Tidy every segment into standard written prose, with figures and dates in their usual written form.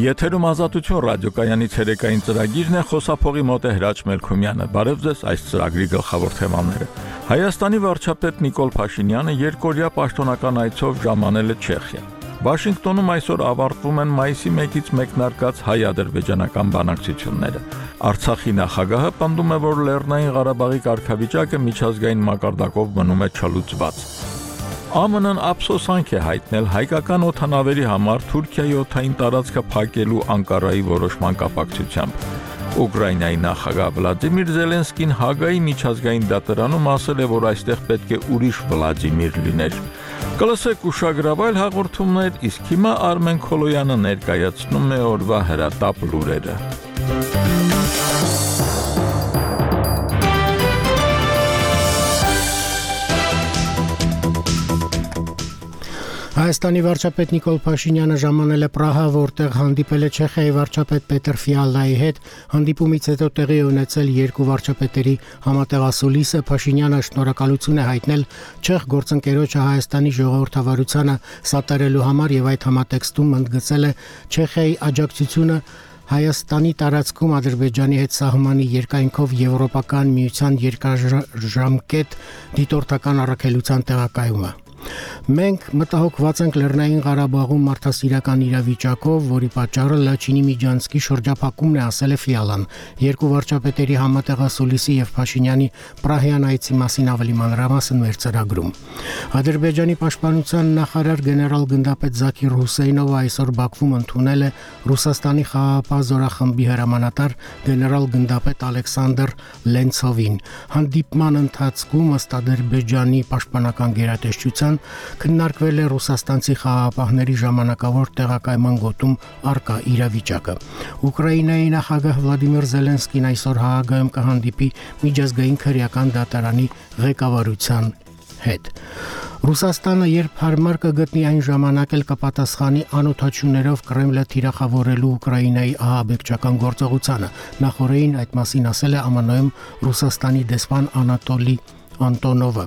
Եթերում ազատություն ռադիոկայանի ցերեկային ծրագիրն է, խոսափողի մոտ է Հրաչ Մելքումյանը։ Բարև ձեզ, այս ծրագրի գլխավոր թեմաները։ Հայաստանի վարչապետ Նիկոլ Փաշինյանը երկօրյա պաշտոնական այցով ժամանել է Չեխիա։ Վաշինգտոնում այսօր ավարտվում են մայիսի 1-ից մեկնարկած հայ-ադրբեջանական բանակցությունները։ Արցախի նախագահը պնդում է, որ Լեռնային Ղարաբաղի կարգավիճակը միջազգային մակարդակով մնում է չլուծված։ ԱՄՆ-ն ափսոսանք է հայտնել հայկական օդանավերի համար Թուրքիայի օդային տարածքը փակելու Անկարայի որոշման կապակցությամբ։ Ուկրաինայի նախագահ Վլադիմիր Զելենսկին Հագայի միջազգային դատարանում ասել է, որ այստեղ պետք է ուրիշ Վլադիմիր լիներ։ Կլսեք ուշագրավայր հաղորդումներ, իսկ հիմա Արմեն Քոլոյանը ներկայացնում է օրվա հրատապ լուրերը։ Հայաստանի վարչապետ Նիկոլ Փաշինյանը ժամանել է Պրահա, որտեղ հանդիպել է Չեխիայի վարչապետ Պետր Ֆիալայի հետ։ Հանդիպումից հետո տեղի ունեցել երկու վարչապետերի համատեղասուլիսը։ Փաշինյանը շնորհակալություն է հայտնել չեխ գործընկերոջը Հայաստանի ժողովրդավարությանը սատարելու համար եւ այդ համատեքստում ընդգծել է Չեխիայի աջակցությունը Հայաստանի տարածքում Ադրբեջանի հետ սահմանի երկայնքով Եվրոպական միության երկարաժամկետ դիտորդական առաքելության տեղակայումը։ Մենք մտահոգված ենք Լեռնային Ղարաբաղում մարդասիրական իրավիճակով, որի պատճառը Լաչինի Միջանցքի շրջափակումն է, ասել է Ֆիալան։ Երկու վարչապետերի համատեղասուլիսի եւ Փաշինյանի Պրահյան այցի մասին ավելի մանրամասն մեր ծրագրում։ Ադրբեջանի պաշտպանության նախարար գեներալ գնդապետ Զաքիր Հուսեյնովը այսօր Բաքվում ընդունել է Ռուսաստանի խաղաղապահ զորախմբի հրամանատար գեներալ գնդապետ Ալեքսանդր Լենցովին։ Հանդիպման ընթացքում ըստ Ադրբեջանի պաշտպանական գերատեսչության քննարկվել է ռուսաստանցի խաղաղապահների ժամանակավոր տեղակայման գոտում առկա իրավիճակը։ Ուկրաինայի նախագահ Վլադիմիր Զելենսկին այսօր Հաագայում կհանդիպի միջազգային քրեական դատարանի ղեկավարության հետ։ Ռուսաստանը երբ հարմար կգտնի այն ժամանակ էլ կպատասխանի անօթաչուներով Կրեմլը թիրախավորելու Ուկրաինայի ահաբեկչական գործողությանը։ Նախորդին այդ մասին ասել է ԱՄՆ-ում Ռուսաստանի դեսպան Անատոլի Անտոնովը։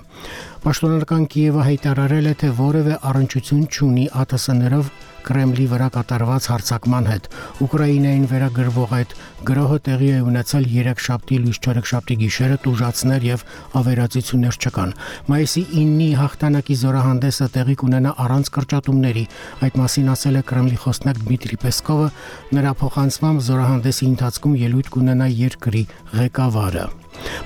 Պաշտոնական Կիևը հայտարարել է, թե որևէ առնչություն չունի ԱԹՍ-ներով Կրեմլի վրա կատարված հարձակման հետ։ Ուկրաինային վերագրվող այդ գրոհը տեղի է ունեցել երեքշաբթի լույս չորեքշաբթի գիշերը, տուժածներ եւ ավերածություններ չկան։ Մայիսի 9-ի հաղթանակի զորահանդեսը տեղի կունենա առանց կրճատումների։ Այդ մասին ասել է Կրեմլի խոսնակ Դմիտրի Պեսկովը, նրա փոխանցմամբ զորահանդեսի ընթացքում ելույթ կունենա երկրի ղեկավարը։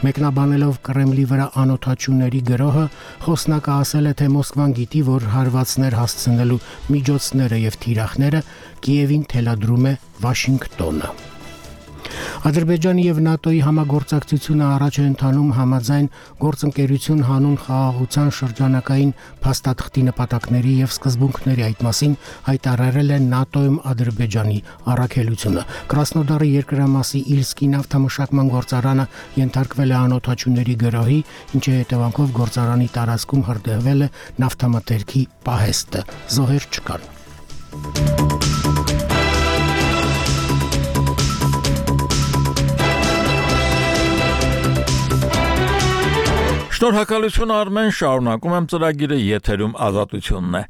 Մեկնաբանելով Կրեմլի վրա անօթաչուների գրոհը, խոսնակը ասել է, թե Մոսկվան գիտի, որ հարվածներ հասցնելու միջոցները եւ թիրախները Կիևին թելադրում է Վաշինգտոնը։ Ադրբեջանի եւ ՆԱՏՕ-ի համագործակցությունը առաջ է ընթանում համաձայն գործընկերություն հանուն խաղաղության շրջանակային փաստաթղթի նպատակների եւ սկզբունքների։ Այդ մասին հայտարարել է ՆԱՏՕ-ում Ադրբեջանի առաքելությունը։ Կրասնոդարի երկրամասի Իլսկի նավթամշակման գործարանը ենթարկվել է անօթաչուների գրոհի, ինչի հետևանքով գործարանի տարածքում հրդեհվել է նավթամթերքի պահեստը։ Զոհեր չկան։ Շնորհակալություն Արմեն, շարունակում եմ ծրագիրը, եթերում ազատությունն է։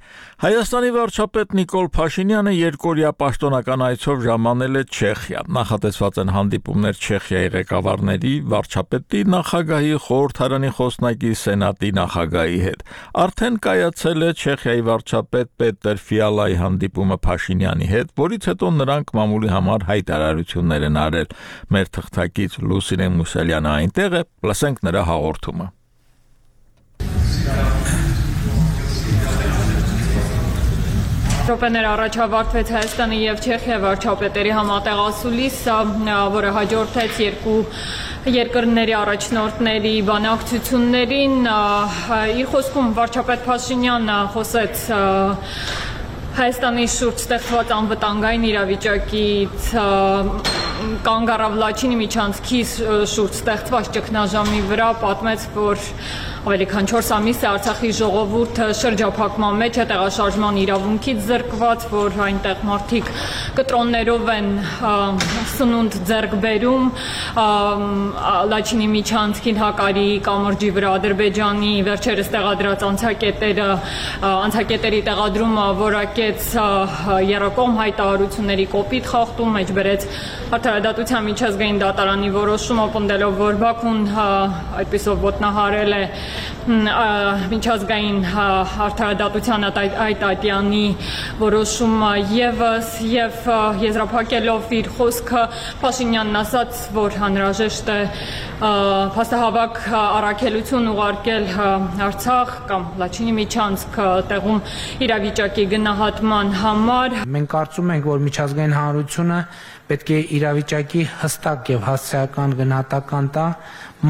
Հայաստանի վարչապետ Նիկոլ Փաշինյանը երկօրյա պաշտոնական այցով ժամանել է Չեխիա։ Նախատեսված են հանդիպումներ Չեխիայի ղեկավարների, վարչապետի, նախագահի, խորհրդարանի խոսնակի, սենատի նախագահի հետ։ Արդեն կայացել է Չեխիայի վարչապետ Պետր Ֆիալայի հանդիպումը Փաշինյանի հետ, որից հետո նրանք մամուլի համար հայտարարություններ են արել։ Մեր թղթակից Լուսինե Մուսալյանը այնտեղ է, լսենք նրա հաղորդումը։ Րոպեներ առաջ ավարտվեց Հայաստանի եւ Չեխիայի վարչապետերի համատեղասուլիսը, որը հաջորդեց երկու երկրների առաջնորդների բանակցություններին։ Իր խոսքում վարչապետ Փաշինյանը խոսեց Հայաստանի շուրջ ստեղծված անվտանգային իրավիճակից, կանգ առավ Լաչինի միջանցքի շուրջ ստեղծված ճգնաժամի վրա, պատմեց, որ ավելի քան 4 ամիս է Արցախի ժողովուրդը շրջափակման մեջ է, տեղաշարժման իրավունքից զրկված, որ այնտեղ մարդիկ կտրոններով են սնունդ ձեռք բերում, Լաչինի միջանցքին Հակարի կամրջի վրա Ադրբեջանի վերջերս տեղադրած անցակետերի տեղադրումը որակեց երակողմ հայտարարությունների կոպիտ խախտում, մեջ բերեց Արդարադատության միջազգային դատարանի որոշումը, պնդելով, որ Բաքուն այդպիսով ոտնահարել է միջազգային արդարադատության այդ ատյանի որոշումը եւս եւ եզրափակելով իր խոսքը Փաշինյանն ասաց, որ անհրաժեշտ է փաստահավաք առաքելություն ուղարկել Արցախ կամ Լաչինի միջանցք տեղում իրավիճակի գնահատման համար։ Մենք կարծում ենք, որ միջազգային հանրությունը պետք է իրավիճակի հստակ եւ հասցեական գնահատական տա,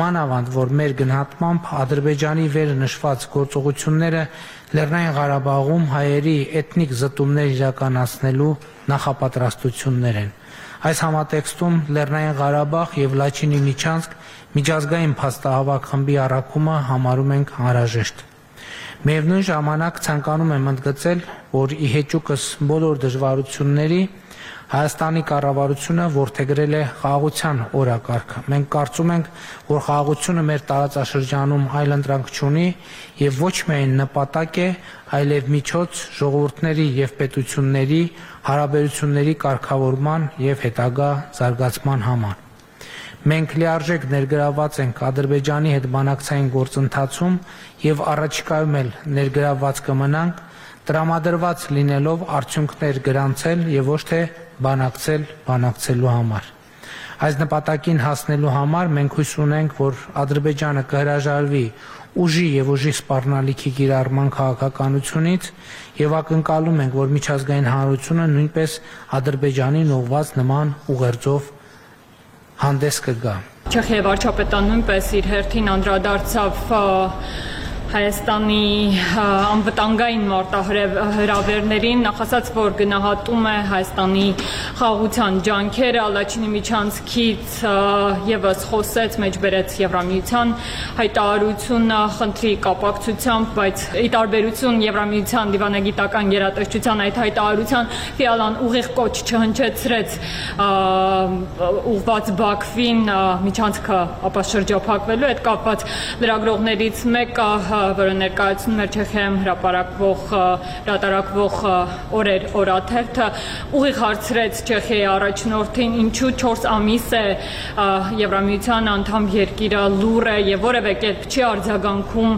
մանավանդ որ մեր գնահատմամբ Ադրբեջանի վերը նշված գործողությունները Լեռնային Ղարաբաղում հայերի էթնիկ զտումներ իրականացնելու նախապատրաստություններ են։ Այս համատեքստում Լեռնային Ղարաբաղ եւ Լաչինի միջանցք միջազգային փաստահավաք խմբի առաքումը համարում ենք անհրաժեշտ։ Միևնույն ժամանակ ցանկանում եմ ընդգծել, որ ի հեճուկս բոլոր դժվարությունների Հայաստանի կառավարությունը որդեգրել է խաղաղության օրակարգը։ Մենք կարծում ենք, որ խաղաղությունը մեր տարածաշրջանում այլընտրանք չունի եւ ոչ միայն նպատակ է, այլև միջոց ժողովուրդների եւ պետությունների հարաբերությունների կարգավորման եւ հետագա զարգացման համար։ Մենք լիարժեք ներգրավված ենք Ադրբեջանի հետ բանակցային գործընթացում եւ առաջիկայում էլ ներգրավված կմնանք, տրամադրված լինելով արդյունքներ գրանցել եւ ոչ թե բանակցելու համար։ Այս նպատակին հասնելու համար մենք հույս ունենք, որ Ադրբեջանը կհրաժարվի ուժի եւ ուժի սպառնալիքի կիրառման քաղաքականությունից եւ ակնկալում ենք, որ միջազգային հանրությունը նույնպես Ադրբեջանին ուղղված նման ուղերձով հանդես կգա։ Չեխիայի վարչապետը նույնպես իր հերթին անդրադարձավ Հայաստանի անվտանգային մարտահրավերներին, նախասած, որ գնահատում է Հայաստանի խաղաղության ջանքերը, Լաչինի միջանցքից եւս խոսեց, մեջբերեց Եվրամիության հայտարարությունը խնդրի կապակցությամբ, բայց ի տարբերություն Եվրամիության դիվանագիտական գերատեսչության այդ հայտարարության Ֆիալան ուղիղ կոչ չհնչեցրեց ուղղված Բաքվին միջանցքը ապա շրջափակվելու հետ կապված լրագրողներից մեկը որը ներկայացնում էր Չեխիայում հրատարակվող օրեր օրաթերթը ուղիղ հարցրեց Չեխիայի առաջնորդին ինչու 4 ամիս է Եվրամիության անդամ երկիրը լուր է եւ որևէ կերպ չի արձագանքում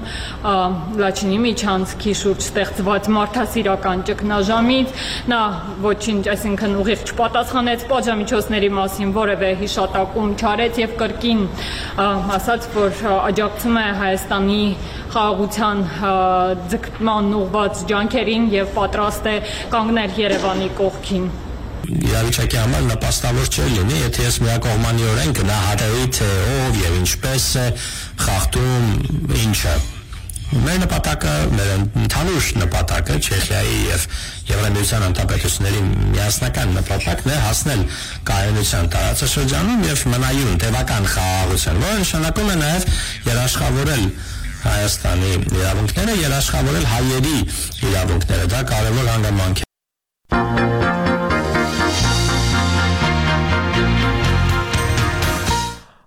Լաչինի միջանցքի շուրջ ստեղծված մարդասիրական ճգնաժամից նա ոչինչ, այսինքն ուղիղ չպատասխանեց պատժամիջոցների մասին որևէ հիշատակում չարեց եւ կրկին ասաց որ աջակցում է Հայաստանի խաղաղության ձգտման ուղղված ջանքերին եւ պատրաստ է կանգնել Երևանի կողքին։ Իրավիճակի համար նպաստավոր չէ լինի, եթե ես միակողմանիորեն գնահատեի թե ով եւ ինչպես է խախտում ինչը։ Մեր նպատակը, մեր ընդհանուր նպատակը Չեխիայի եւ Եվրամիության անդամպետությունների միասնական նպատակն է հասնել կայունության տարածաշրջանում եւ մնայուն տևական խաղաղության, որը նշանակում է նաեւ երաշխավորել Հայաստանի իրավունքները, երաշխավորել հայերի իրավունքները, դա կարևոր հանգամանք է։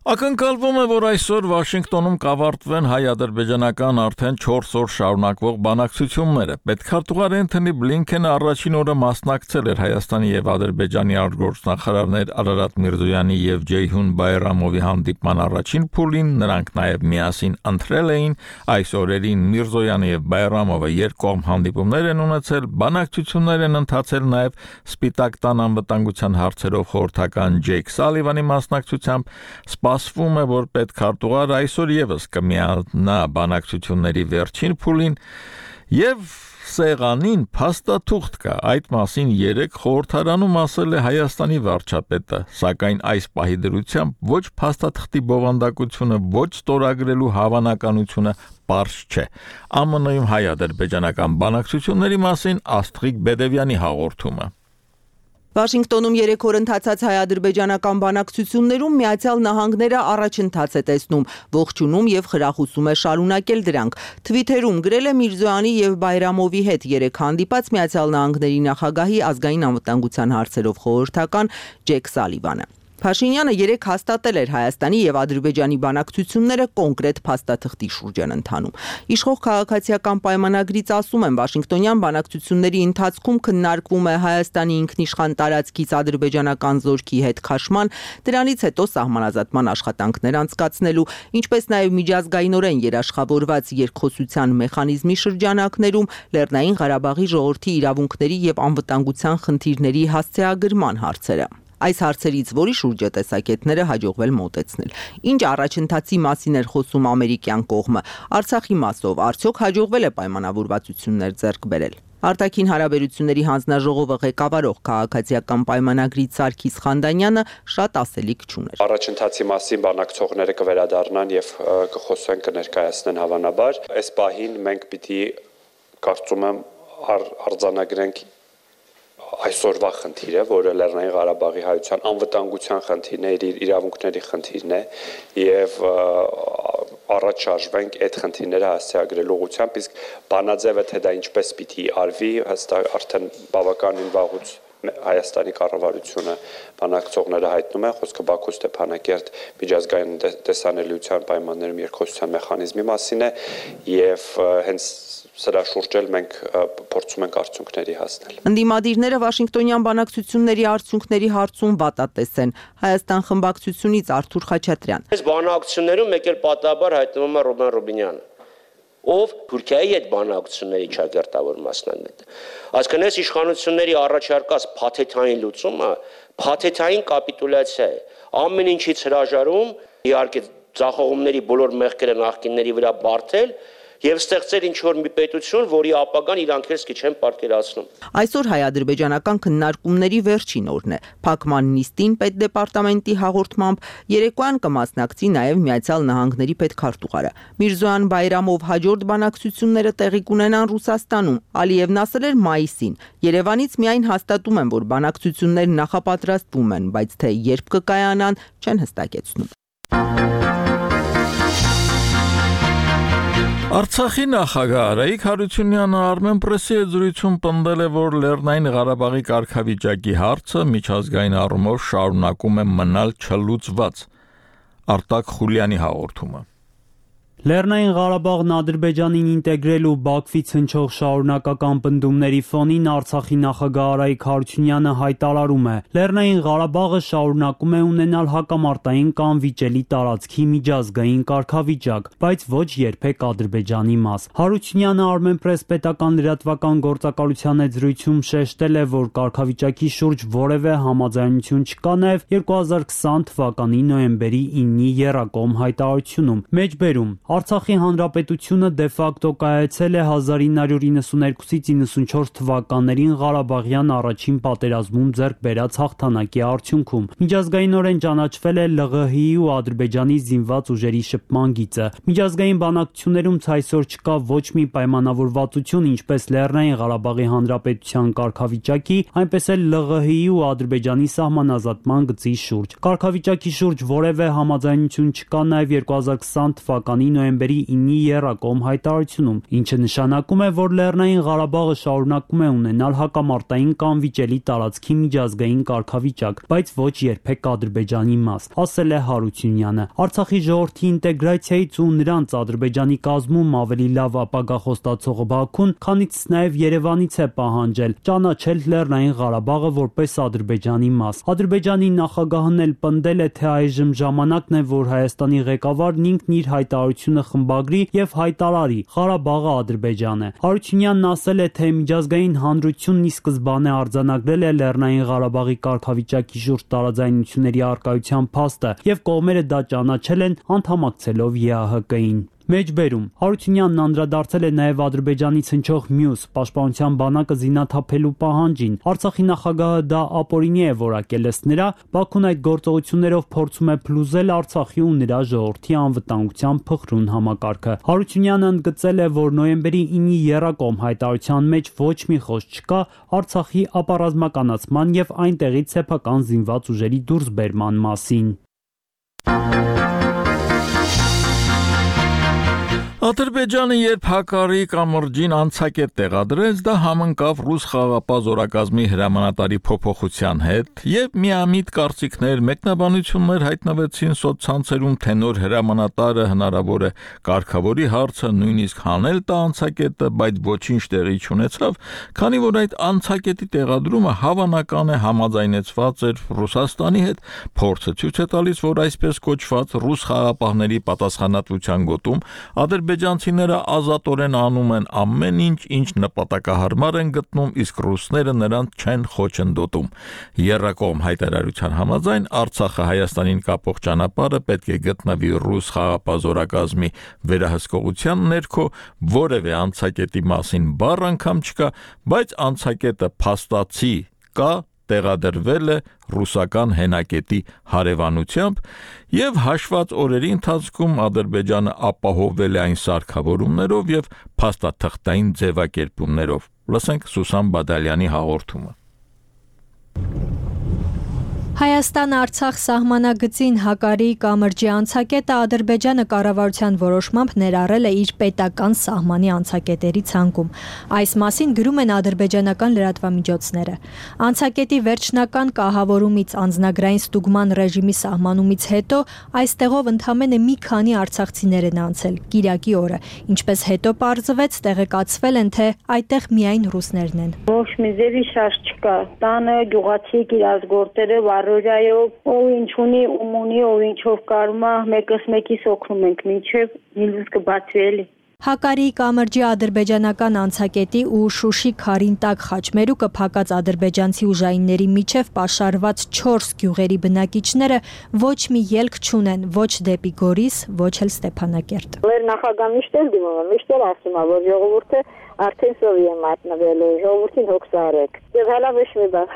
Ակնկալվում է, որ այսօր Վաշինգտոնում կավարտվեն հայ-ադրբեջանական արդեն 4 օր շարունակվող բանակցությունները։ Պետքարտուղար Էնթոնի Բլինքենը առաջին օրը մասնակցել էր Հայաստանի եւ Ադրբեջանի արտգործնախարարներ Արարատ Միրզոյանի եւ Ջեյհուն Բայրամովի հանդիպման առաջին փուլին, նրանք նաեւ միասին ընտրել էին այս օրերին Միրզոյանը եւ Բայրամովը երկկողմ հանդիպումներ են ունեցել, բանակցություններ են ընթացել նաեւ Սպիտակ տան անվտանգության հարցերով խորհրդական Ջեյք Սալիվանի մասնակցությամբ Սպասվում է, որ պետքարտուղարը այսօր եւս կմիանա բանակցությունների վերջին փուլին եւ սեղանին փաստաթուղթ կա։ Այդ մասին երեք խորհրդարանում ասել է Հայաստանի վարչապետը, սակայն այս պահի դրությամբ ոչ փաստաթղթի բովանդակությունը, ոչ ստորագրելու հավանականությունը պարզ չէ։ ԱՄՆ-ում հայ-ադրբեջանական բանակցությունների մասին Աստղիկ Բեդևյանի հաղորդումը։ Վաշինգտոնում 3 օր ընթացած հայ-ադրբեջանական բանակցություններում Միացյալ Նահանգները առաջընթաց է տեսնում, ողջունում եւ խրախուսում է շարունակել դրանք։ Թվիթերում գրել է Միրզոյանի եւ Բայրամովի հետ 3 հանդիպած Միացյալ Նահանգների նախագահի ազգային անվտանգության հարցերով խորհրդական Ջեք Սալիվանը։ Փաշինյանը 3 հաստատել էր Հայաստանի եւ Ադրբեջանի բանակցությունները կոնկրետ փաստաթղթի շուրջ են ընթանում։ Իշխող քաղաքացիական պայմանագրից ասում են, Վաշինգտոնյան բանակցությունների ընթացքում քննարկվում է Հայաստանի ինքնիշխան տարածքից ադրբեջանական զորքի հետ քաշման, դրանից հետո սահմանազատման աշխատանքներ անցկացնելու, ինչպես նաեւ միջազգայինորեն երաշխավորված երկխոսության մեխանիզմի շրջանակներում Լեռնային Ղարաբաղի ժողովրդի իրավունքների եւ անվտանգության խնդիրների հասցեագրման հարցերը։ Այս հարցերից որի շուրջ է տեսակետները հաջողվել մոտեցնել։ Ինչ առաջընթացի մասին էր խոսում ամերիկյան կողմը, Արցախի մասով արդյոք հաջողվել է պայմանավորվածություններ ձեռք բերել։ Արտաքին հարաբերությունների հանձնաժողովը ղեկավարող քաղաքացիական պայմանագրից Սարգիս Խանդանյանը շատ ասելիք չուներ։ Առաջընթացի մասին բանակցողները կվերադառնան եւ կխոսեն, կներկայացնեն հավանաբար։ Այս պահին մենք պիտի կարծում եմ արձանագրենք այսօրվա խնդիրը, որը Լեռնային Ղարաբաղի հայության անվտանգության խնդիրն է, իր իրավունքների խնդիրն է եւ առաջ շարժվենք այդ խնդիրները հասցեագրելու ուղղությամբ, իսկ բանաձևը թե դա ինչպես պիտի արվի, հստակ արդեն բավականին վաղուց Հայաստանի կառավարությունը բանակցողները հայտնում են, խոսքը Բաքու Ստեփանակերտ միջազգային տեսանելիության պայմաններում երկխոսության մեխանիզմի մասին է եւ հենց սրա շուրջ էլ մենք փորձում ենք արդյունքների հասնել։ Ընդդիմադիրները Վաշինգտոնյան բանակցությունների արդյունքների հարցում վատատես են։ Հայաստան խմբակցությունից Արթուր Խաչատրյան։ Այս բանակցություններում մեկ էլ պատահաբար հայտնվում է Ռոբեն Ռոբինյանը, ով Թուրքիայի հետ բանակցությունների ճակերտավոր մասնագետ։ Այսինքն այս իշխանությունների առաջարկած փաթեթային լուծումը փաթեթային կապիտուլյացիա է։ Ամեն ինչից հրաժարում, իհարկե ձախողումների բոլոր մեղքերը նախկինների վրա բարթել եւ ստեղծել ինչ-որ մի պետություն, որի ապագան իրանք էլ չեն պատկերացնում։ Այսօր հայ-ադրբեջանական քննարկումների վերջին օրն է։ Փակման նիստին պետդեպարտամենտի հաղորդմամբ երեկոյան կմասնակցի նաեւ Միացյալ Նահանգների պետքարտուղարը։ Միրզոյան Բայրամով հաջորդ բանակցությունները տեղի կունենան Ռուսաստանում։ Ալիևն ասել էր մայիսին։ Երևանից միայն հաստատում են, որ բանակցություններ նախապատրաստվում են, բայց թե երբ կկայանան, չեն հստակեցնում։ Արցախի նախագահ Արայիկ Հարությունյանը Armenpress-ի հետ զրույցում պնդել է, որ Լեռնային Ղարաբաղի կարգավիճակի հարցը միջազգային առումով շարունակում է մնալ չլուծված։ Արտակ Խուլյանի հաղորդումը։ Լեռնային Ղարաբաղն Ադրբեջանին ինտեգրելու Բաքվից հնչող շարունակական պնդումների ֆոնին Արցախի նախագահ Արայիկ Հարությունյանը հայտարարում է. Լեռնային Ղարաբաղը շարունակում է ունենալ հակամարտային կամ վիճելի տարածքի միջազգային կարգավիճակ, բայց ոչ երբեք Ադրբեջանի մաս։ Հարությունյանը Armenpress պետական լրատվական գործակալության հետ զրույցում շեշտել է, որ կարգավիճակի շուրջ որևէ համաձայնություն չկա նաև 2020 թվականի նոյեմբերի 9-ի եռակողմ հայտարարությունում։ Մեջբերում Արցախի հանրապետությունը դե ֆակտո կայացել է 1992-ից 94 թվականներին Ղարաբաղյան առաջին պատերազմում ձեռք բերած հաղթանակի արդյունքում։ Միջազգայինորեն ճանաչվել է ԼՂՀ-ի ու Ադրբեջանի զինված ուժերի շփման գիծը։ Միջազգային բանակցություններում այսօր չկա ոչ մի պայմանավորվածություն, ինչպես Լեռնային Ղարաբաղի հանրապետության կարգավիճակի, այնպես էլ ԼՂՀ-ի ու Ադրբեջանի սահմանազատման գծի շուրջ։ Կարգավիճակի շուրջ որևէ համաձայնություն չկա նաև 2020 թվականի նոյեմբերի 9-ի եռակողմ հայտարարությունում, ինչը նշանակում է, որ Լեռնային Ղարաբաղը շարունակում է ունենալ հակամարտային կամ վիճելի տարածքի միջազգային կարգավիճակ, բայց ոչ երբեք Ադրբեջանի մաս, ասել է Հարությունյանը։ Արցախի ժողովրդի ինտեգրացիայից ու նրանց Ադրբեջանի կազմում ավելի լավ ապագա խոստացողը Բաքուն, քանից նաև Երևանից է պահանջել ճանաչել Լեռնային Ղարաբաղը որպես Ադրբեջանի մաս։ Ադրբեջանի նախագահն էլ պնդել է, թե այժմ ժամանակն է, որ Հայաստանի ղեկավարն ինքն իր հայտարարությունը խմբագրի եւ հայտարարի Ղարաբաղը Ադրբեջան է։ Հարությունյանն ասել է, թե միջազգային հանրությունն ի սկզբանե արձանագրել է Լեռնային Ղարաբաղի կարգավիճակի շուրջ տարաձայնությունների առկայության փաստը եւ կողմերը դա ճանաչել են անդամակցելով ԵԱՀԿ-ին։ Մեջբերում Հարությունյանն անդրադարձել է նաև Ադրբեջանից հնչող մյուս պաշտպանության բանակը զինաթափելու պահանջին։ Արցախի նախագահը դա ապօրինի է որակել, ըստ նրա, Բաքուն այդ գործողություններով փորձում է փլուզել Արցախի ու նրա ժողովրդի անվտանգության փխրուն համակարգը։ Հարությունյանը ընդգծել է, որ նոյեմբերի 9-ի եռակողմ հայտարարության մեջ ոչ մի խոսք չկա Արցախի ապառազմականացման եւ այնտեղից սեփական զինված ուժերի դուրսբերման մասին։ Ադրբեջանը երբ Հակարի կամրջին անցակետ տեղադրեց, դա համընկավ ռուս խաղաղապահ զորակազմի հրամանատարի փոփոխության հետ եւ միամիտ կարծիքներ, մեկնաբանություններ հայտնվեցին սոցցանցերում, թե նոր հրամանատարը հնարավոր է կարգավորի հարցը նույնիսկ հանել տա անցակետը, բայց ոչինչ տեղի չունեցավ, քանի որ այդ անցակետի տեղադրումը հավանական է համաձայնեցված էր Ռուսաստանի հետ, փորձը ցույց է տալիս, որ այսպես կոչված ռուս խաղաղապահների պատասխանատվության գոտում ադրբեջանցիները ազատորեն անում են ամեն ինչ, ինչ նպատակահարմար են գտնում, իսկ ռուսները նրանց չեն խոչընդոտում։ Եռակողմ հայտարարության համաձայն Արցախը Հայաստանին կապող ճանապարհը պետք է գտնվի ռուս խաղաղապահ զորակազմի վերահսկողության ներքո, որևէ անցակետի մասին բառ անգամ չկա, բայց անցակետը փաստացի կա, տեղադրվել է ռուսական հենակետի հարևանությամբ եւ հաշված օրերի ընթացքում Ադրբեջանը ապահովել է այն սարքավորումներով եւ փաստաթղթային ձևակերպումներով։ Լսենք Սուսան Բադալյանի հաղորդումը։ Հայաստան-Արցախ սահմանագծին Հակարի կամրջի անցակետը Ադրբեջանը կառավարության որոշմամբ ներառել է իր պետական սահմանի անցակետերի ցանկում։ Այս մասին գրում են ադրբեջանական լրատվամիջոցները։ Անցակետի վերջնական կահավորումից անձնագրային ստուգման ռեժիմի սահմանումից հետո այստեղով ընդամենը մի քանի արցախցիներ են անցել Կիրակի օրը, ինչպես հետո պարզվեց, տեղեկացվել են, թե այդտեղ միայն ռուսներն են։ Ոչ մի ձևի շարժ չկա։ Տանը գյուղացի իրազգորտերը Ռոջայով ով ինչ ունի, ում ունի, ով ինչով կարում է, մեկս մեկիս օգնում ենք, մինչև նիլուս կբացվի էլի։ Հակարի կամրջի ադրբեջանական անցակետի ու Շուշի քարին տակ խաչմերուկը փակած ադրբեջանցի ուժայինների միջև պաշարված 4 գյուղերի բնակիչները ոչ մի ելք չունեն ոչ դեպի Գորիս, ոչ էլ Ստեփանակերտ։ Մեր նախագահ միշտ էլ դիմում է, միշտ էլ ասում է, որ ժողովուրդը արդեն սովի է մատնվել, ժողովրդին հոգս արեք։ Եվ հալա ոչ մի բան,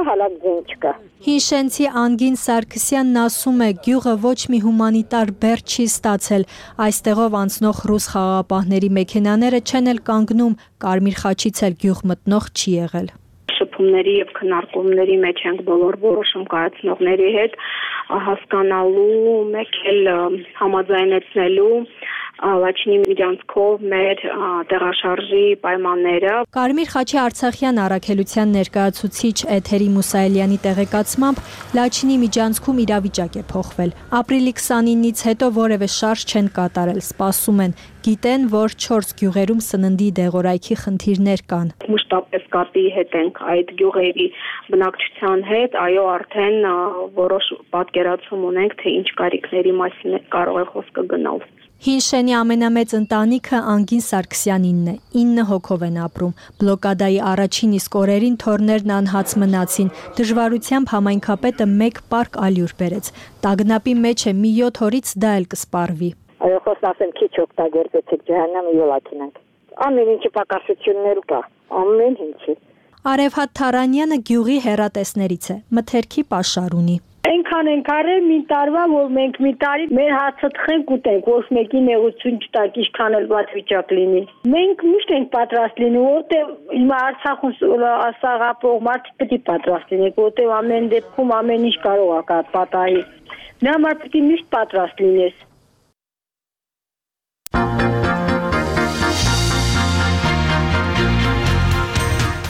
հալա ձեն չկա։ Հինշենցի Անգին Սարգսյանն ասում է, գյուղը ոչ մի հումանիտար բեռ չի ստացել, այստեղով անցնող ռուս խաղաղապահների մեքենաները չեն էլ կանգնում, Կարմիր խաչից էլ գյուղ մտնող չի եղել։ Շփումների եւ քննարկումների մեջ ենք բոլոր որոշում կայացնողների հետ հասկանալու, մեկ էլ համաձայնեցնելու Լաչինի միջանցքով մեր տեղաշարժի պայմանները։ Կարմիր խաչի Արցախյան առաքելության ներկայացուցիչ Էթերի Մուսայելյանի տեղեկացմամբ Լաչինի միջանցքում իրավիճակ է փոխվել։ Ապրիլի 29-ից հետո որևէ շարժ չեն կատարել, սպասում են, գիտեն, որ 4 գյուղերում սննդի դեղորայքի խնդիրներ կան։ Մշտապես կապի հետ ենք այդ գյուղերի բնակչության հետ, այո, արդեն որոշ պատկերացում ունենք, թե ինչ կարիքների մասին կարող է խոսքը գնալ։ Հինշենի ամենամեծ ընտանիքը Անգին Սարգսյանինն է, 9 հոգով են ապրում։ Բլոկադայի առաջին իսկ օրերին թորներն անհաց մնացին, դժվարությամբ համայնքապետը 1 պարկ ալյուր բերեց։ Տագնապի մեջ է, մի 7 օրից դա էլ կսպառվի։ Այո, խոսք ասեմ, քիչ օգտագործեցիք ջահանամը յոլակինանք։ Ամեն ինչի պակասություններ կա, ամեն ինչի։ Արևհատ Թարանյանը գյուղի հեռատեսներից է, մթերքի պաշար ունի։ Այնքան ենք արել մի տարվա, որ մենք մի տարի մեր հացը թխենք ուտենք, ոչ մեկի նեղություն չտակ, ինչքան էլ ված վիճակ լինի։ Մենք միշտ ենք պատրաստ լինում, որտեղ հիմա Արցախում սաղապող մարդիկ պետք է պատրաստ լինենք, որտեղ ամեն դեպքում ամեն ինչ կարող է պատահի։ Նա համար պետք է միշտ պատրաստ լինես։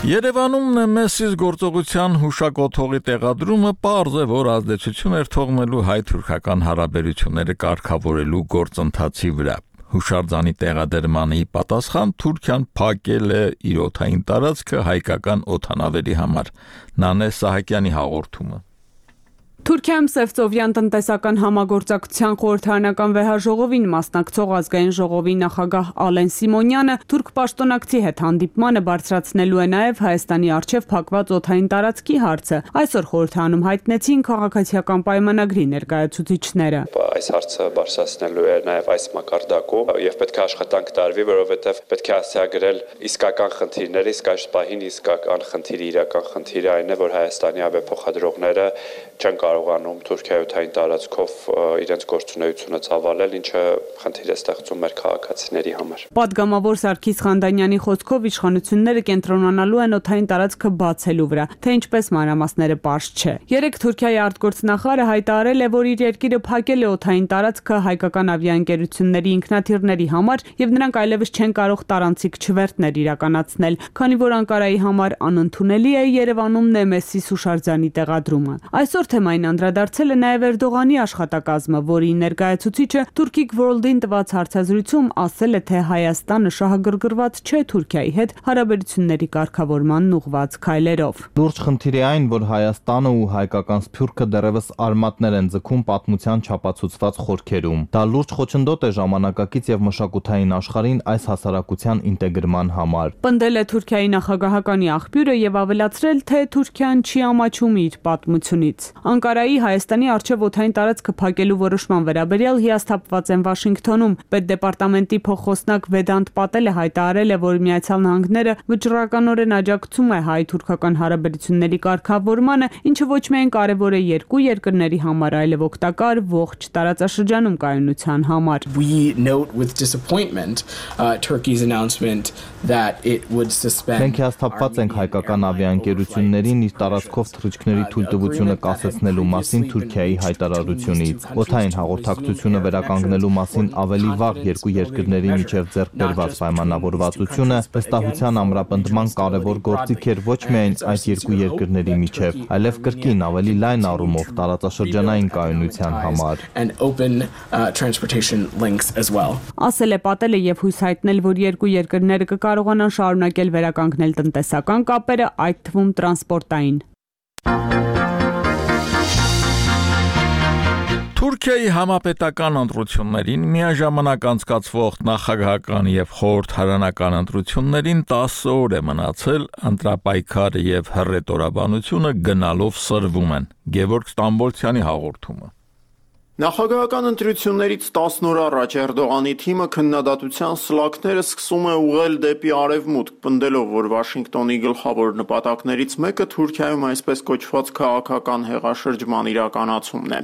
Երևանում Նեմեսիս գործողության հուշակոթողի տեղադրումը պարզ է, որ ազդեցություն էր թողնելու հայ-թուրքական հարաբերությունները կարգավորելու գործընթացի վրա։ Հուշարձանի տեղադրմանի պատասխան Թուրքիան փակել է իր օդային տարածքը հայկական օդանավերի համար։ Նանե Սահակյանի հաղորդումը։ Թուրքիայում Սևծովյան տնտեսական համագործակցության խորհրդարանական վեհաժողովին մասնակցող ազգային ժողովի նախագահ Ալեն Սիմոնյանը թուրք պաշտոնակցի հետ հանդիպմանը բարձրացնելու է նաև Հայաստանի առջև փակված օդային տարածքի հարցը։ Այսօր խորհրդարանում հայտնեցին քաղաքացիական պայմանագրի ներկայացուցիչները։ Այս հարցը բարձրացնելու է նաև այս մակարդակում եւ պետք է աշխատանք տարվի, որովհետեւ պետք է հասցեագրել իսկական խնդիրները, իսկ այս պահին իսկական խնդիրը, իրական խնդիրը այն է, որ Հայաստանի ավիափոխադրողները չեն կարողանում Թուրքիայոթային տարածքով իրենց գործունեությունը ծավալել, ինչը խնդիր է ստեղծում մեր քաղաքացիների համար։ Պատգամավոր Սարգիս Խանդանյանի խոսքով իշխանությունները կենտրոնանալու են օդային տարածքը բացելու վրա, թե ինչպես մանրամասները պարզ չէ։ Երեկ Թուրքիայի արտգործնախարարը հայտարարել է, որ իր երկիրը փակել է օդային տարածքը հայկական ավիաընկերությունների ինքնաթիռների համար եւ նրանք այլևս չեն կարող տարանցիկ չվերթներ իրականացնել, քանի որ Անկարայի համար անընդունելի է Երևանում Նեմեսիս հուշարձանի տեղադրումը։ Այսօր թեմային անդրադարձել է նաև Էրդողանի աշխատակազմը, որի ներկայացուցիչը Turkic World-ին տված հարցազրույցում ասել է, թե Հայաստանը շահագրգռված չէ Թուրքիայի հետ հարաբերությունների կարգավորման ուղղված քայլերով։ Լուրջ խնդիր է այն, որ Հայաստանը ու հայկական Սփյուռքը դեռևս արմատներ են ձգում պատմության չափածուցված խորքերում։ Դա լուրջ խոչընդոտ է ժամանակակից եւ մշակութային աշխարհին այս հասարակության ինտեգրման համար։ Պնդել է Թուրքիայի նախագահականի աղբյուրը եւ ավելացրել, թե Թուրքիան չի ամաչում իր պատմությունից։ Անկարայի Հայաստանի առջև օդային տարածքը փակելու որոշման վերաբերյալ հիասթափված են Վաշինգտոնում։ Պետդեպարտամենտի փոխխոսնակ Վեդանտ Պատելը հայտարարել է, որ Միացյալ Նահանգները վճռականորեն աջակցում է հայ-թուրքական հարաբերությունների կարգավորմանը, ինչը ոչ միայն կարևոր է երկու երկրների համար, այլև օգտակար ողջ տարածաշրջանում կայունության համար։ We note with disappointment Turkey's announcement that it would suspend. Մենք հիասթափված ենք հայկական ավիաընկերություններին իր տարածքով թռիչքների թույլտվությունը կասեցնելու մասին Թուրքիայի հայտարարությունից։ Օդային հաղորդակցությունը վերականգնելու մասին ավելի վաղ երկու երկրների միջև ձեռք բերված պայմանավորվածությունը վստահության ամրապնդման կարևոր գործիք էր ոչ միայն այս երկու երկրների միջև, այլև կրկին ավելի լայն առումով տարածաշրջանային կայունության համար։ Ասել է Պատելը եւ հույս հայտնել, որ երկու երկրները կկարողանան շարունակել վերականգնել տնտեսական կապերը, այդ թվում տրանսպորտային։ Թուրքիայի համապետական ընտրություններին միաժամանակ անցկացվող նախագահական եւ խորհրդարանական ընտրություններին 10 օր է մնացել, ընտրապայքարը եւ հռետորաբանությունը գնալով սրվում են։ Գևորգ Ստամբոլցյանի հաղորդումը։ Նախագահական ընտրություններից 10 օր առաջ Էրդողանի թիմը քննադատության սլաքները սկսում է ուղղել դեպի արևմուտք, պնդելով, որ Վաշինգտոնի գլխավոր նպատակներից մեկը Թուրքիայում այսպես կոչված քաղաքական հեղաշրջման իրականացումն է։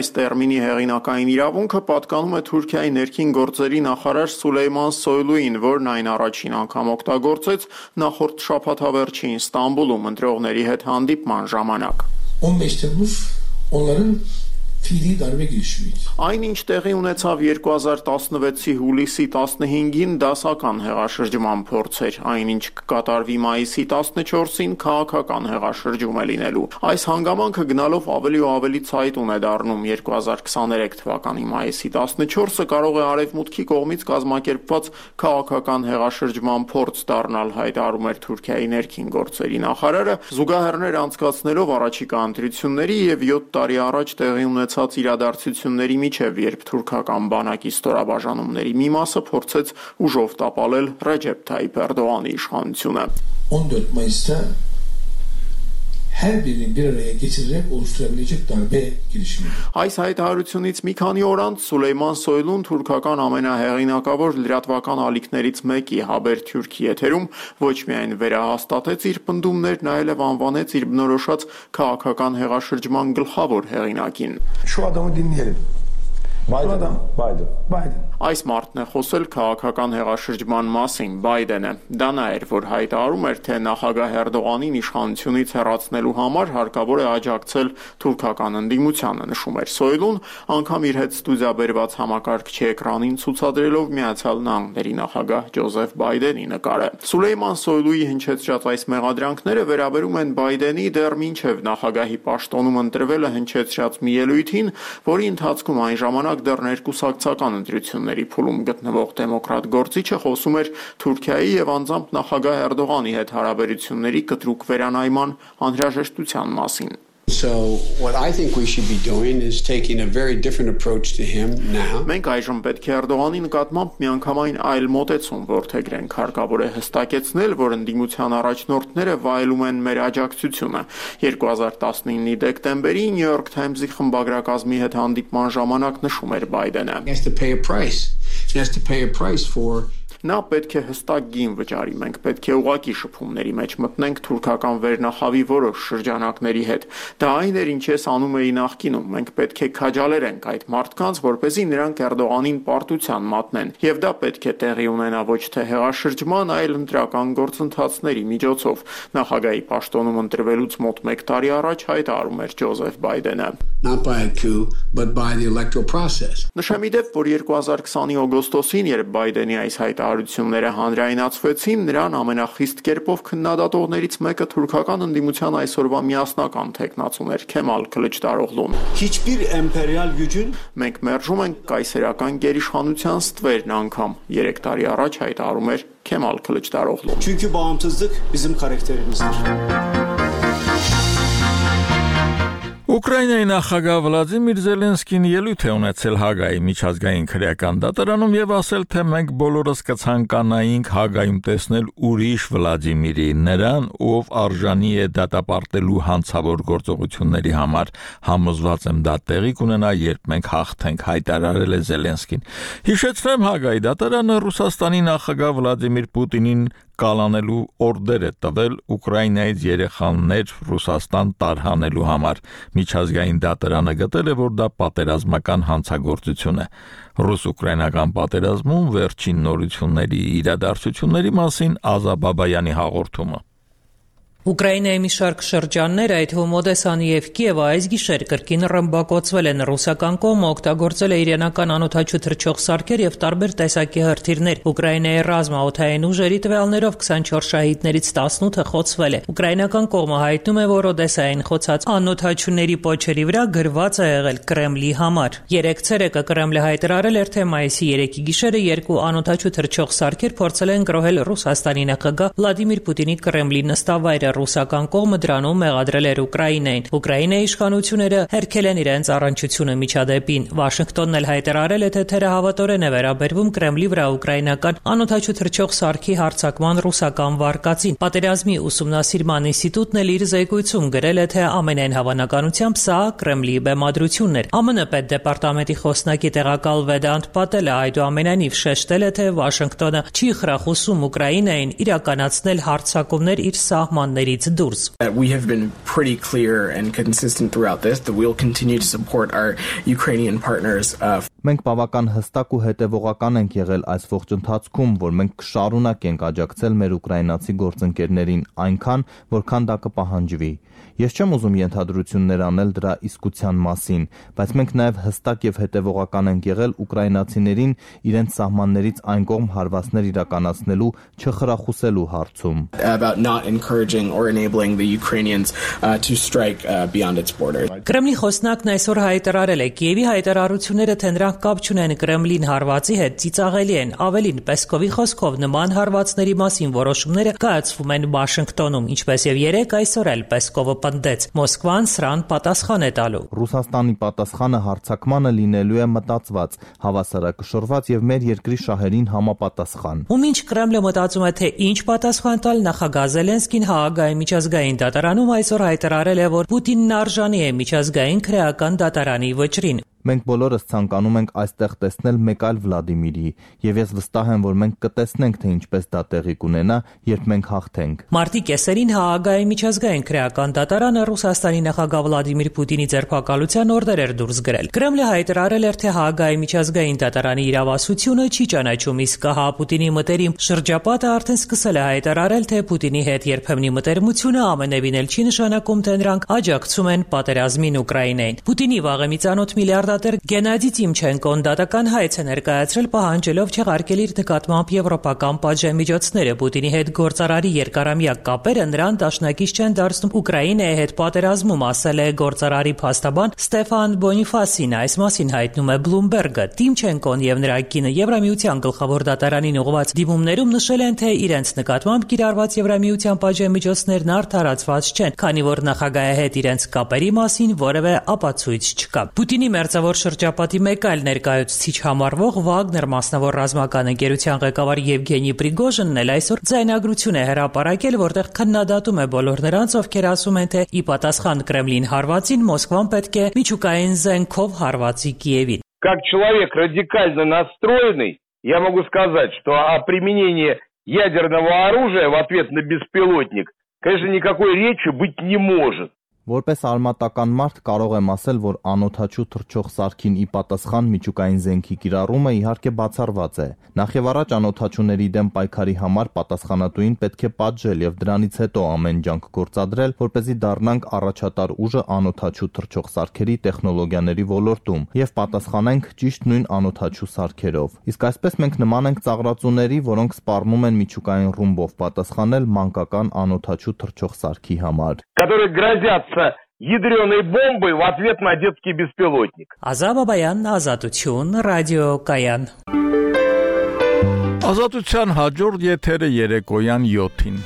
Այս տերմինի հեղինակային իրավունքը պատկանում է Թուրքիայի ներքին գործերի նախարար Սուլեյման Սոյլուին, որն այն առաջին անգամ օգտագործեց նախորդ շաբաթավերջին Ստամբուլում ընտրողների հետ հանդիպման ժամանակ։ 15 Temmuz onların fiili darbe girişimiydi. Այն ինչ տեղի ունեցավ 2016-ի հուլիսի 15-ին դասական հեղաշրջման փորձ էր, այնինչ կկատարվի մայիսի 14-ին քաղաքական հեղաշրջում է լինելու։ Այս հանգամանքը գնալով ավելի ու ավելի ցայտուն է դառնում 2023 թվականի մայիսի 14-ը կարող է արևմուտքի կողմից կազմակերպված քաղաքական հեղաշրջման փորձ դառնալ, հայտարարում էր Թուրքիայի ներքին գործերի նախարարը, զուգահեռներ անցկացնելով առաջիկա ընտրությունների եւ 7 տարի առաջ տեղի ունեցած իրադարձությունների միջև, երբ թուրքական բանակի ստորաբաժանումների մի մասը փորձեց ուժով տապալել Ռեջեփ Թայիփ Էրդողանի իշխանությունը։ 14 Mayıs'ta her birini bir araya getirerek oluşturabilecek darbe girişimi. Այս հայտարարությունից մի քանի օր անց Սուլեյման Սոյլուն թուրքական ամենահեղինակավոր լրատվական ալիքներից մեկի Haber Türkiye եթերում ոչ միայն վերահաստատեց իր պնդումներն, այլև անվանեց իր բնորոշած քաղաքական հեղաշրջման գլխավոր հեղինակին։ Şu adamı dinleyelim. Biden. Այս մարդն է խոսել քաղաքական հեղաշրջման մասին, Բայդենը։ Դա նա էր, որ հայտարարում էր, թե նախագահ Էրդողանին իշխանությունից հեռացնելու համար հարկավոր է աջակցել թուրքական ընդդիմությանը, նշում էր Սոյլուն, անգամ իր հետ ստուդիա բերված համակարգչի էկրանին ցուցադրելով Միացյալ Նահանգների նախագահ Ջոզեֆ Բայդենի նկարը։ Սուլեյման Սոյլուի հնչեցրած այս մեղադրանքները վերաբերում են Բայդենի դեռ մինչև նախագահի պաշտոնում ընտրվելը հնչեցրած մի ելույթին, որի ընթացքում այն ժամանակ դեռ ներկուսակցական ընտրությունների փուլում գտնվող դեմոկրատ գործիչը խոսում էր Թուրքիայի եւ անձամբ նախագահ Էրդողանի հետ հարաբերությունների կտրուկ վերանայման անհրաժեշտության մասին։ So what I think we should be doing is taking a very different approach to him now. Մենք այժմ պետք է Էրդողանի նկատմամբ միանգամայն այլ մոտեցում որդեգրենք, հարկավոր է հստակեցնել, որ ընդդիմության առաջնորդները վայելում են մեր աջակցությունը։ 2019-ի դեկտեմբերի New York Times-ի խմբագրակազմի հետ հանդիպման ժամանակ նշում էր Բայդենը. He has to pay a price. He has to pay a price for Նա պետք է հստակ գին վճարի, մենք պետք է ուղակի շփումների մեջ մտնենք թուրքական վերնախավի որոշ շրջանակների հետ։ Դա այն էր, ինչ ես անում էի նախկինում, մենք պետք է քաջալերենք այդ մարդկանց, որպեսզի նրանք Էրդողանին պարտության մատնեն, եւ դա պետք է տեղի ունենա ոչ թե հեղաշրջման, այլ ընտրական գործընթացների միջոցով։ Նախագահի պաշտոնում ընտրվելուց մոտ 1 տարի առաջ հայտարարում էր Ջոզեֆ Բայդենը. Not by a coup, but by the electoral process. Նշեմ իդեպ, որ 2020-ի օգոստոսին, երբ Բայդենի այս հայտարարությունները հանրայնացվեցին, նրան ամենախիստ կերպով քննադատողներից մեկը թուրքական ընդդիմության այսօրվա միասնական թեկնածուն էր Քեմալ Քլիչդարօղլուն։ Hiçbir emperyal gücün մենք մերժում ենք կայսերական գերիշխանության ստվերն անգամ 3 տարի առաջ հայտարարում էր Քեմալ Քլիչդարօղլուն։ Çünkü bağımsızlık bizim karakterimizdir. Ուկրաինայի նախագահ Վլադիմիր Զելենսկին ելույթ է ունեցել Հագայի միջազգային քրեական դատարանում եւ ասել, թե մենք բոլորս կցանկանայինք Հագայում տեսնել ուրիշ Վլադիմիրի, նրան, ով արժանի է դատապարտելու հանցավոր գործողությունների համար։ Համոզված եմ դա տեղի կունենա, երբ մենք հաղթենք, հայտարարել է Զելենսկին։ Հիշեցնեմ, Հագայի դատարանը Ռուսաստանի նախագահ Վլադիմիր Պուտինին կալանելու օրդեր է տվել Ուկրաինայից երեխաներ Ռուսաստան տարհանելու համար։ Միջազգային դատարանը գտել է, որ դա պատերազմական հանցագործություն է։ Ռուս-ուկրաինական պատերազմում վերջին նորությունների իրադարձությունների մասին Ազա Բաբայանի հաղորդումը։ Ուկրաինայի մի շարք շրջաններ, այդ թվում Օդեսան եւ Կիևը այս գիշեր կրկին ռմբակոծվել են։ Ռուսական կողմը օգտագործել է իրանական անօդաչու թռչող սարքեր եւ տարբեր տեսակի հրթիռներ։ Ուկրաինայի ռազմաօդային ուժերի տվյալներով 24 շահիդներից 18-ը խոցվել է։ Ուկրաինական կողմը հայտնում է, որ Օդեսային խոցած անօդաչուների պոչերի վրա գրված է եղել Կրեմլի համար։ Երեք ցերեկը Կրեմլը հայտարարել էր, թե մայիսի 3-ի գիշերը 2 անօդաչու թռչող սարքեր փորձել են գրոհել Ռուսաստանի նախագահ Վլադիմիր Պուտինի Կրեմլի նստավայրը։ Ռուսական կողմը դրանում մեղադրել էր Ուկրաինային։ Ուկրաինայի իշխանությունները հերքել են իրենց առնչությունը միջադեպին։ Վաշինգտոնն էլ հայտարարել է, թե թերահավատորեն է վերաբերվում Կրեմլի վրա ուկրաինական անօդաչու թռչող սարքի հարձակման ռուսական վարկածին։ Պատերազմի ուսումնասիրման ինստիտուտն էլ իր զեկույցում գրել է, թե ամենայն հավանականությամբ սա Կրեմլի բեմադրությունն էր։ ԱՄՆ պետդեպարտամենտի խոսնակի տեղակալ Վեդանտ Պատելը այդուամենայնիվ շեշտել է, թե Վաշինգտոնը չի խրախուսում Ուկրաինային իրականացնել հարձակումներ իր սահմանների We have been pretty clear and consistent throughout this that we'll continue to support our Ukrainian partners. Մենք բավական հստակ ու հետևողական ենք եղել այս ողջ ընթացքում, որ մենք կշարունակենք աջակցել մեր ուկրաինացի գործընկերներին այնքան, որքան դա կպահանջվի։ Ես չեմ ուզում ենթադրություններ անել դրա իսկության մասին, բայց մենք նաև հստակ եւ հետևողական ենք եղել ուկրաինացիներին իրենց սահմաններից այն կողմ հարվածներ իրականացնելու չխրախուսելու հարցում։ About not encouraging or enabling the Ukrainians to strike beyond its borders. Կրեմլի խոսնակն այսօր հայտարարել է, Կիևի հայտարարությունները, թե նրանք կապ չունեն Կրեմլին հարվածի հետ, ծիծաղելի են։ Ավելին, Պեսկովի խոսքով նման հարվածների մասին որոշումները կայացվում են Վաշինգտոնում, ինչպես եւ երեք այսօր էլ Պեսկովը պնդեց, Մոսկվան սրան պատասխան է տալու։ Ռուսաստանի պատասխանը հարձակմանը լինելու է մտածված, հավասարակշռված եւ մեր երկրի շահերին համապատասխան։ Ու մինչ Կրեմլը մտածում է, թե ինչ պատասխան տալ, նախագահ Զելենսկին Հաագայի միջազգային դատարանում այսօր հայտարարել է, որ Պուտինն արժանի է միջազգային քրեական դատարանի վճռին։ Մենք բոլորս ցանկանում ենք այստեղ տեսնել մեկ այլ Վլադիմիրի, եւ ես վստահ եմ, որ մենք կտեսնենք, թե ինչպես դա տեղի կունենա, երբ մենք հաղթենք։ Մարտի կեսերին Հաագայի միջազգային քրեական դատարանը Ռուսաստանի նախագահ Վլադիմիր Պուտինի ձերբակալության օրդեր էր դուրս գրել։ Կրեմլը հայտարարել էր, թե Հաագայի միջազգային դատարանի իրավասությունը չի ճանաչում, իսկ հա Պուտինի մտերիմ շրջապատը արդեն սկսել է հայտարարել, թե Պուտինի հետ երբեմնի մտերմությունը ամենևին էլ չի նշանակում, թե նրանք աջակցում են պատերազմին Ուկրաինային։ Պուտինի վաղեմի ծանոթ միլիարդ փոխադատեր Գենադի Տիմչենկոն դատական հայց է ներկայացրել պահանջելով չեղարկել իր նկատմամբ եվրոպական պատժամիջոցները։ Պուտինի հետ գործարարի երկարամյա կապերը նրան դաշնակից չեն դարձնում Ուկրաինայի հետ պատերազմում, ասել է գործարարի փաստաբան Ստեֆան Բոնիֆասին։ Այս մասին հայտնում է Bloomberg-ը։ Տիմչենկոն եւ նրա կինը Եվրամիության գլխավոր դատարանին ուղղված դիմումներում նշել են, թե իրենց նկատմամբ կիրառված Եվրամիության պատժամիջոցներն արդարացված չեն, քանի որ նախագահի հետ իրենց կապերի մասին որևէ ապացույց չկա։ Պուտինի մերձավոր շրջապատի մեկ այլ ներկայացուցիչ համարվող Վագներ մասնավոր ռազմական ընկերության ղեկավար Եվգենի Պրիգոժինն էլ այսօր ձայնագրություն է հրապարակել, որտեղ քննադատում է բոլոր նրանց, ովքեր ասում են, թե ի պատասխան Կրեմլին հարվածին Մոսկվան պետք է միջուկային զենքով հարվածի Կիևին։ Как человек радикально настроенный, я могу сказать, что о применении ядерного оружия в ответ на беспилотник, конечно, никакой речи быть не может. Որպես արմատական մարդ կարող եմ ասել, որ անօդաչու թռչող սարքին ի պատասխան միջուկային զենքի կիրառումը իհարկե բացառված է։ Նախևառաջ անօդաչուների դեմ պայքարի համար պատասխանատուին պետք է պատժել եւ դրանից հետո ամեն ջանք գործադրել, որպեսզի դառնանք առաջատար ուժը անօդաչու թռչող սարքերի տեխնոլոգիաների ոլորտում եւ պատասխանենք ճիշտ нույն անօդաչու սարքերով։ Իսկ այսպես մենք նման ենք ծաղրածուների, որոնք սպառնում են միջուկային ռումբով պատասխանել մանկական անօդաչու թռչող սարքի համար։ Которые грозятся ядреной бомбой в ответ на детский беспилотник. Ազաբաբայան, Ազատություն, Ռադիո Կայան։ Ազատության հաջորդ եթերը երեկոյան 7-ին։